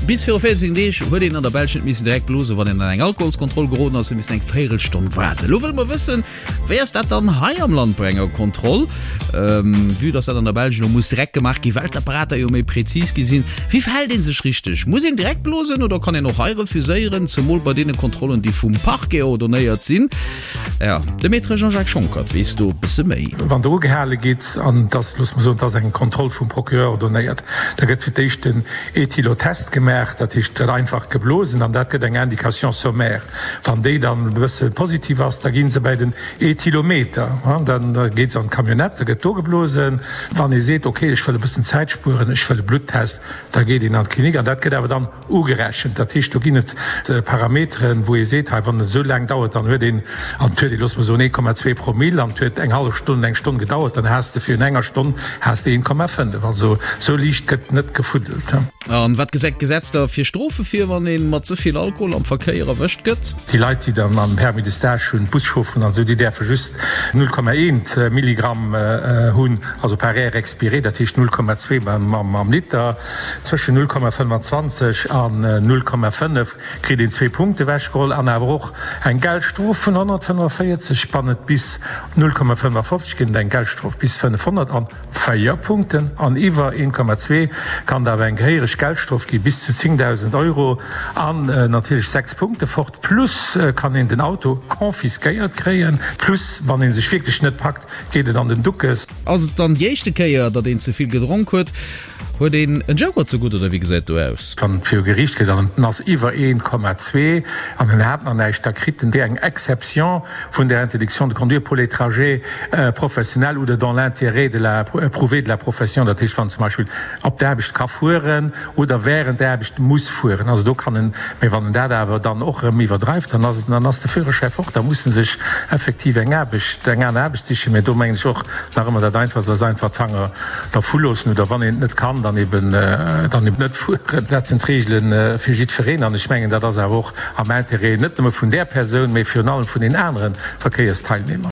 Bis viru 14 Deeg huet een an der Belsch net missen direkt blosen, wann een an eng Alkoholskontroll geroden ass, huet missen eng Véierelstonn waarden. Elo wëlle mer wëssen, wéi ass dat dann hei am Land bei enger Kontroll? Vue dass dat an der Belsch elo muss direkt gemaach gi well d'Apparater jo méi präzis gi sinn. Wéi verhält ee sech richteg? Muss een direkt blosen oder kann een och hei refuséieren, zemol bei deene Kontrollen, déi vum Parquet ordonnéiert sinn? Jo, de Maître Jean-Jacques Schonckert weess do e bësse méi. Wann Der ugehale gitt, an et ass, loosse mer soen, et ass eng Kontroll vum Procureur ordonnéiert, da gëtt fir d'éischt den Ethylotest gemaach, dat heescht, et gëtt einfach geblosen an dat gëtt eng Indication sommaire. Wann déi dann e bësse positiv ass, da gi se bäi den Ethylometer, da geet se an d'Camionnette, da gëtt do geblosen. Wann ee seet, okay, ech wëll e bëssen Zäit spueren, ech wëll e Bluttest, da geet een an d'Klinik an dat gëtt awer dann Ugerechent. Dat heescht, do ginn et Parameteren, wou ee seet, hei, wann et esou laang dauert, dann huet een, an et huet ee, loosse mer soen, 1,2 Promille, an et huet eng hallef Stonn, eng Stonn gedauert, dann has de virun enger Stonn has de 1,5. Also esou liicht gëtt net gefuddelt. An wat gesäit d'Gesetz da fir Strofe vir, wann ee mat ze vill Alkohol am Verkéier erwëscht gëtt? Déi Leit, déi dann am Permis de stage hunn, d'Buschaufferen an esou, déi däerfe just 0,1 Milligramm hunn. Also par air expiré, dat heescht 0,2 mam Liter. Zwëschen 0,25 an 0,5 kritt een zwee Punkte ewechgeholl an awer och eng Geldstrof vun 145. Wann et bis 0,55 ginn et eng Geldstrof bis 500 an 4 Punkten. An iwwer 1,2 kann et awer eng gehéiereg Geldstrof gi bis zu 10.000 Euro an natierlech 6 Punkte fort. Plus kann een den Auto confisquéiert kréien. Plus wann ee sech wierklech net packt, Geet et an den Duckes? Ass et dann déi éischte Kéier, datt een ze vill gedronk huet? Huet een en Joker ze gutt oder wéi gesäit do aus? Wann et viru Geriicht geet an en ass iwwer 1,2 an en hat nach näischt, da kritt en eng Exception vun der Interdiction de conduire pour les trajets professionnels oder dans l'intérêt de la prouvé de la profession. Dat heescht, wann zum Beispill op d'Aarbecht ka fueren oder während der Aarbecht muss fueren. Also do kann en, mä wann en dat awer dann och erëm iwwerdreift, dann ass, dann ass de Führerschäi fort, da muss en sech effektiv eng Aarbecht, eng aner Aarbecht sichen. Mä do mengen ech och nach ëmmer, dat Einfachst ass einfach d'Fanger dervu loossen oder wann een et net kann, dann eben, dann eben net fueren. Dat sinn d'Regele fir jiddwereen an ech mengen, dat ass awer och am Intérêt net nëmme vun där Persoun, mä virun allem vun den anere Verkéiersteilnehmer.